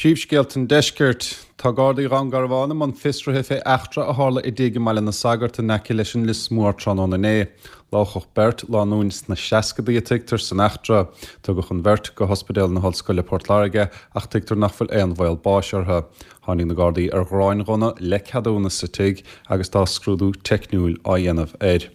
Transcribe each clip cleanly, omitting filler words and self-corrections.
Príomhscéalta an Deiscirt. Tá Gardaí Dhún Garbhán i mbun fiosraithe fé eachtra a tharla i dtigh i mBaile na Sagart in aice leis an Lios Mór tráthnóna inné. Lámhachadh beirt, lánúin sna seascadaí a tuigtear, san eachtra. Tugadh an bheirt go hOspidéal na hOllscoile Port Láirge ach tuigtear nach bhfuil aon bhaol báis orthu. Tháinig na Gardaí ar ghráinghunna le ceadúnas sa tigh agus tá scrúdú teicniúil á dhéanamh air.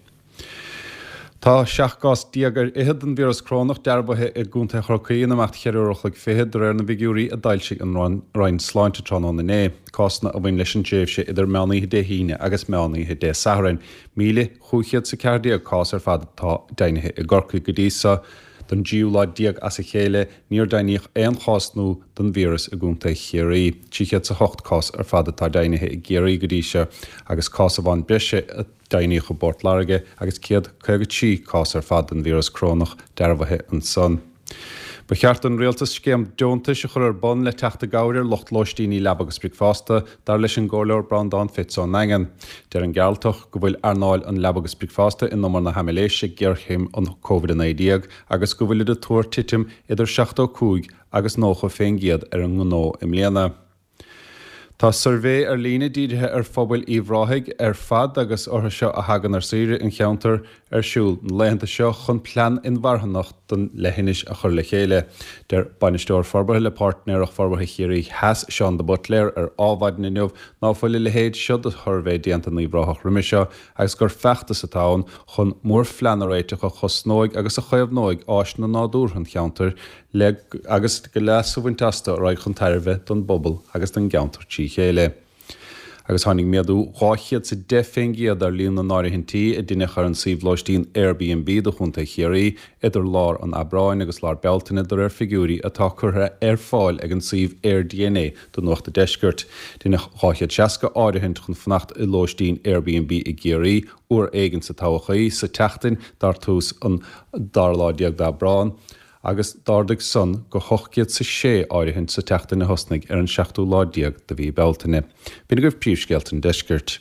Tá 17 gcás ar fhichead den víreas corónach dearbhaithe i gContae Chorcaí in imeacht cheithre uair an chloig fichead, de réir na bhfigiúirí a d'fhoilsigh an Roinn Sláinte tráthnóna inné. Cásanna a bhain leis an tréimhse idir meán oíche Dé hAoine agus meán oíche Dé Sathairn. 1,514 cás ar fad atá deimhnithe i gCorcaigh go dtí seo. Don dtríú lá déag as a chéile, níor deimhníodh aon chás nua den víreas i gContae Chiarraí. 308 cás ar fad atá deimhnithe i gCiarraí go dtí seo agus cás amháin breise a Deimhníodh i bPort Láirge agus 153 cás ar fad den víreas corónach dearbhaithe ansan. Ba cheart don Rialtas scéim deontais a chur ar bun le teacht i gcabhair ar lucht lóistíní leaba agus bricfeasta, dar leis an gComhairleoir Breandán Fitz ón nDaingean. Deir an Gearaltach go bhfuil earnáil an leaba agus bricfeasta in umar na haimiléise ag géarchéim an Covid-19 agus go bhfuilid ag tuar titim idir 75 agus 90 fén gcéad ar an ngnó i mbliana. Tá suirbhé ar líne dírithe ar phobail Uíbh Ráthaigh ar fad agus orthu seo a thagann ar saoire in cheantar ar siúl na laethanta seo chun plean inmharthanach don leithinis a chur le chéile. Deir Bainisteoir Forbartha le Páirtnéireacht Forbartha Chiarraí Theas, Seán de Buitléar ar Ádhmhaidin inniu ná fuil a leithéid seo de shuirbhé déanta in Uíbh Ráthach roimhe seo agus gur feachtas atá ann chun mórphlean a réiteach a chosnóidh agus a chaomhnóidh áiseanna nádúrtha an cheantair le agus go leas a bhaint astu a raghaidh chun tairbhe don bpobal agus don gceantar trí chéile. Agus tháinig méadú 210% ar líon na n-áirithintí a deineadh ar an suíomh lóistín Airbnb do Chontae Chiarraí idir lár an Aibreáin agus lár Bealtaine de réir figiúirí atá curtha ar fáil ag an suíomh AirDNA do Nuacht a' Deiscirt. Deineadh 260 áirithint chun fanacht i lóistín Airbnb i gCiarraí uair éigin sa todhchaí sa tseachtain dar tús an dara lá déag d'Aibreán. agus d'ardaigh san go 806 áirithint sa tseachtain a thosnaigh ar an seachtú lá déag de mhí Bealtaine. B'in agaibh príomhscéalta an deiscirt.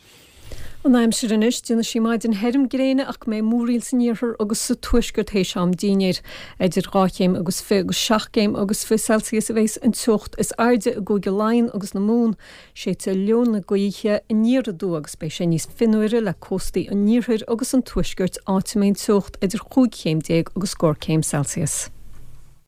An aimsir anois, déanfaidh sí maidin thirim gréine ach go mbeidh múraíl san iarthar agus sa tuaisceart théis am dínnéir. Idir 2 chéim agus 20 agus 7 gcéim agus 20 Celsius a bheas an teocht is airde i gCúige Laighean agus na Mumhan. Séidfidh leo na gaoithe aniar aduaidh agus beidh sé níos fionnuaire le cóstaí an iarthair agus an tuaiscirt áit a mbeidh an teocht idir 15 chéim agus scór céim Celsius.